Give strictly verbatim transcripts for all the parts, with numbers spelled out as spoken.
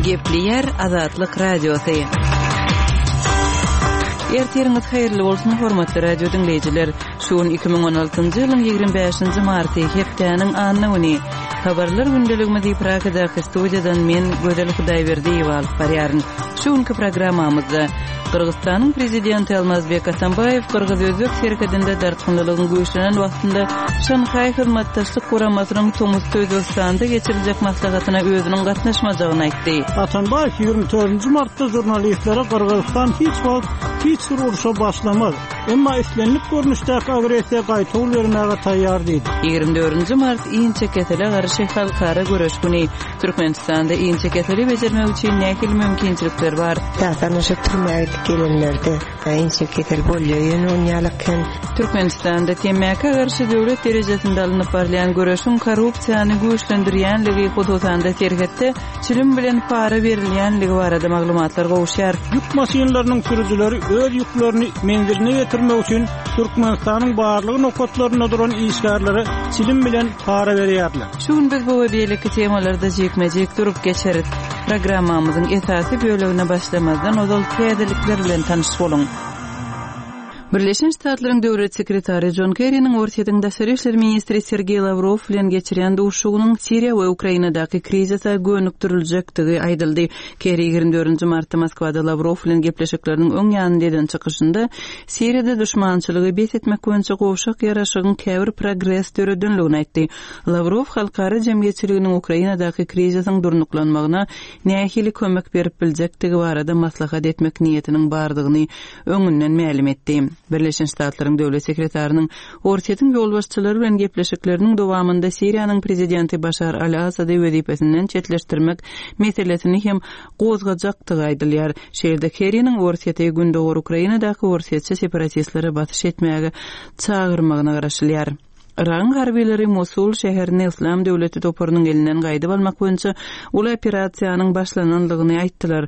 Gepleýär Azatlyk Radiosy. Ertiriňiz haýyrly bolsun, hormatly radio diňleýjiler. Şu gün iki müň on altynjy ýylyň ýigrimi bäşinji marty, hepdäniň anna güni. Habarlar gündeligimizi Pragadaky studiýadan men, Gözel Hudaýberdiýewa alyp barýaryn. Şu günki programmamyzda Gyrgyzystanyň prezidenti Almazbek Atambaýew gyrgyz-özbek serhedinde dartgynlylygyň güýçlenen wagtynda Şanhaý Hyzmatdaşlyk Guramasynyň tomusda Özbegistanda geçiriljek maslahatyna özüniň gatnaşmajagyny aýtdy. Atambaýew ýigrimi dördünji martda žurnalistlere Gyrgyzystan hiç wagt hiç bir urşa başlamaz, emma islendik görnüşdäki agressiýa gaýtawul bermäge taýýar diýdi. Ýigrimi dördünji mart inçekesele garşy halkara göreş güni. Türkmenistanda inçekeseli bejermek üçin nähili mümkinçilikler bar? Esasan şu türmä gidip gelenlerde inçekesel bolýar, ýöne on ýalyk hem. Türkmenistanda temmäkä garşy döwlet derejesinde alnyp barylýan göreşiň korrupsiýany güýçlendirýänligi, hususan-da serhetde çilim bilen para berilýänligi barada maglumatlar gowuşýar. Ýük maşynlarynyň sürüjileri öz ýüklerini menziline getirmek üçin Türkmenistanyň barlyk nokatlarynda duran işgärlere çilim bilen para berýärler. Şu gün biz bu we beýleki temalarda jikme-jik durup geçeris. Programmamyzyň esasy bölegine başlamazdan ozal täzelikler bilen tanyş boluň. Birleşen Ştatlaryň döwlet sekretary John Kerry'niň Orsýetiň daşary işler ministri Sergeý Lawrow bilen geçirýän duşuşygynyň Siriýa we Ukrainadaky krizise gönükdiriljekdigi aýdyldy. Kerry ýigrimi dördünji martda Moskwada Lawrow bilen gepleşikleriniň öň ýanynda eden çykyşynda Siriýada duşmançylygy bes etmek boýunça gowşak ýaraşygyň käbir progres döredenligini aýtdy. Lawrow halkara jemgyýetçiliginiň Ukrainadaky krizisiň durnuklanmagyna nähili kömek berip biljekdigi barada maslahat etmek niýetiniň bardygyny öňünden mälim etdi. Birleşen Ştatlaryň döwlet sekretarynyň Orsýetiň ýolbaşçylary bilen gepleşikleriniň dowamynda Siriýanyň prezidenti Başar al-Asady wezipesinden çetleşdirmek meselesini hem gozgajakdygy aýdylýar. Şeýle-de Kerry'niň Orsýeti Gündogar Ukrainadaky orsýetçi separatistlere basyş etmäge çagyrmagyna garaşylýar. Yragyň harbileri Mosul şäherini Yslam döwleti toparynyň elinden gaýdyp almak boýunça uly operasiýanyň başlanandygyny aýtdylar.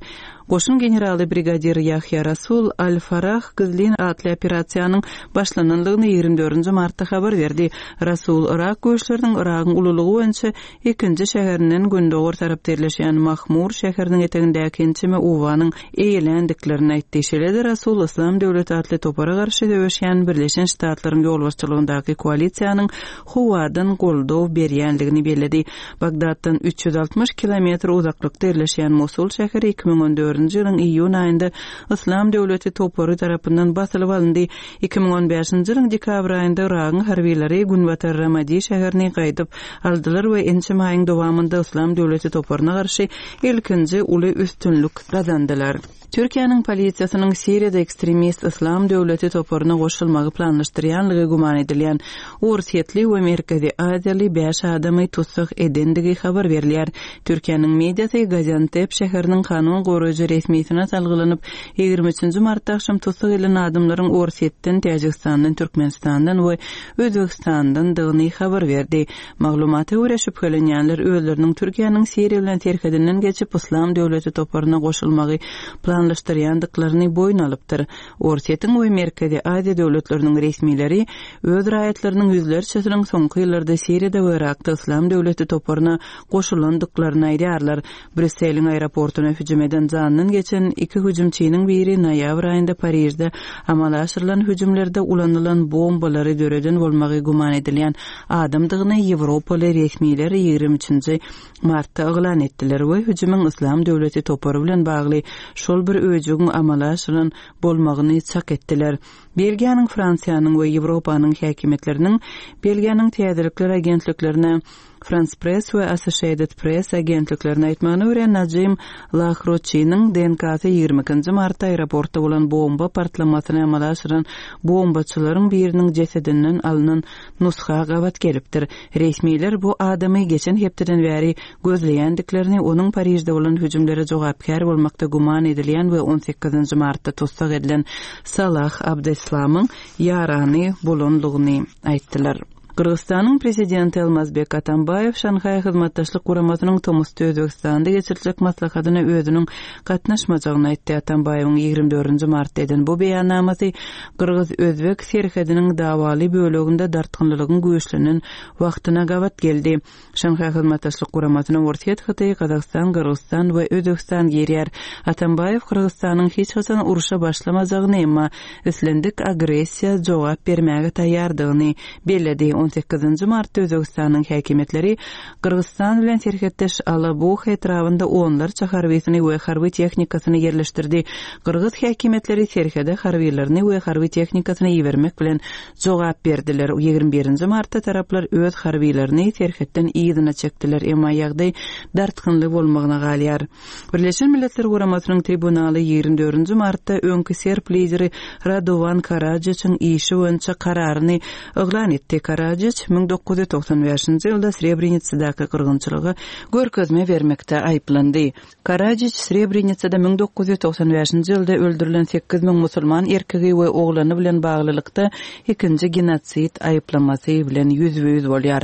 Goşun generaly brigadir Ýahýa Rasul Al-Farah gizlin atly operasiýanyň başlanandygyny ýigrimi dördünji martda habar berdi. Rasul Yrak güýçleriniň Yragyň ululygy boýunça ikinji şäherinden gündogar tarapda ýerleşýän Mahmur şäheriniň etegindäki ençeme obanyň eýeländiklerini aýtdy. Şeýle-de Rasul Yslam döwleti atly topara garşy söweşýän Birleşen Ştatlaryň ýolbaşçylygyndaky koalisiýanyň howadan goldaw berýändigini belledi. Bagdatdan üç ýüz altmyş kilometr uzaklykda ýerleşýän Mosul şäheri iki müň on dördünji ýylyň iýun aýynda Yslam döwleti topary tarapyndan basylyp alyndy. Iki müň on bäşinji ýylyň dekabr aýynda Yragyň harbileri Günbatar Ramadi şäherini gaýdyp aldylar we ençeme aýyň dowamynda Yslam döwleti toparyna garşy ilkinji uly üstünlik gazandylar. Türkiýäniň polisiýasynyň Siriýada ekstremist Yslam döwleti toparyna goşulmagy planlaşdyrýanlygy güman edilýän Orsýetli we Merkezi Aziýaly bäş adamy tussag edendigi habar berilýär. Türkiýäniň mediasy Gaziantep şäheriniň kanun goraýjy resmisine salgylanyp, ýigrimi üçünji martda akşam tussag edilen adamlaryň Orsýetden, Täjigistandan, Türkmenistandan we Özbegistandandygyny habar berdi. Maglumata görä şübhelenýänler özleriniň Türkiýäniň Siriýa bilen serhedinden geçip Yslam döwleti toparyna goşulmagy planlaşdyrýandyklaryny boýun alypdyr. Orsýetiň we Merkezi Aziýa döwletleriniň resmileri öz raýatlarynyň ýüzlerçesiniň soňky ýyllarda Siriýada we Yrakda Yslam döwleti toparyna goşulandyklaryny aýdýarlar. Brüsseliň aeroportuna hüjüm eden jandan geçen iki hüjümçiniň biri noýabr aýynda Parižde amala aşyrylan hüjümlerde ulanylan bombalary döreden bolmagy güman edilýän adamdygyny Ýewropaly resmiler ýigrimi üçünji martda yglan etdiler we hüjümiň Yslam döwleti topary bilen bagly şol bir öýjügiň amala aşyrylan bolmagyny çak etdiler. Belgiýanyň, Fransiýanyň we Ýewropanyň häkimiýetleriniň Belgiýanyň täzelikler agentliklerine France Press we Associated Press agentliklerine aýtmagyna görä Najim Lahroçiniň D N K-sy ýigrimi ikinji martda aeroportda bolan bomba partlamasyny amala aşyran bombaçylaryň biriniň jesedinden alynan nusga gabat gelipdir. Resmiler bu adamy geçen hepdeden bäri gözleýändiklerini, onuň Parižde bolan hüjümlere jogapkär bolmakda güman edilýän we on sekizinji martda tussag edilen Salah Abdeslamyň ýarany bolanlygyny aýtdylar. Gyrgyzystanyň prezidenti Almazbek Atambaýew Şanhaý Hyzmatdaşlyk Guramasynyň tomusda Özbegistanda geçiriljek maslahatyna özüniň gatnaşmajagyny aýtdy. Atambaýewiň ýigrimi dördünji martda eden bu beýannamasy gyrgyz-özbek serhediniň dawaly böleginde dartgynlylygyň güýçlenen wagtyna gabat geldi. Şanhaý Hyzmatdaşlyk Guramasyna Orsýet, Hytaý, Gazagystan, Gyrgyzystan we Özbegistan girýär. Atambaýew Gyrgyzystanyň hiç haçan urşa başlamajagyny, emma islendik agressiýa jogap bermäge taýýardygyny belledi. On sekizinji martda Özbegistanyň häkimiýetleri Gyrgyzystan bilen serhetdeş Alabuha etrabynda onlarça harbysyny we harby tehnikasyny ýerleşdirdi. Gyrgyz häkimiýetleri serhede harbylaryny we harby tehnikasyny ibermek bilen jogap berdiler. Ýigrimi birinji martda taraplar öz harbylaryny serhetden yzyna çekdiler, emma ýagdaý dartgynly bolmagyna galýar. Birleşen Milletler Guramasynyň tribunaly ýigrimi dördünji martda öňki serb lideri Radowan Karadžiçiň işi boýunça kararyny yglan etdi. Karadžiç müň dokuz ýüz togsan bäşinji ýylda Srebrenisadaky gyrgynçylyga görkezme bermekde aýyplandy. Karadžiç Srebrenisada müň dokuz ýüz togsan bäşinji ýylda öldürilen sekiz müň musulman erkegi we oglany bilen baglylykda ikinji genosid aýyplamasy bilen ýüzbe-ýüz bolýar.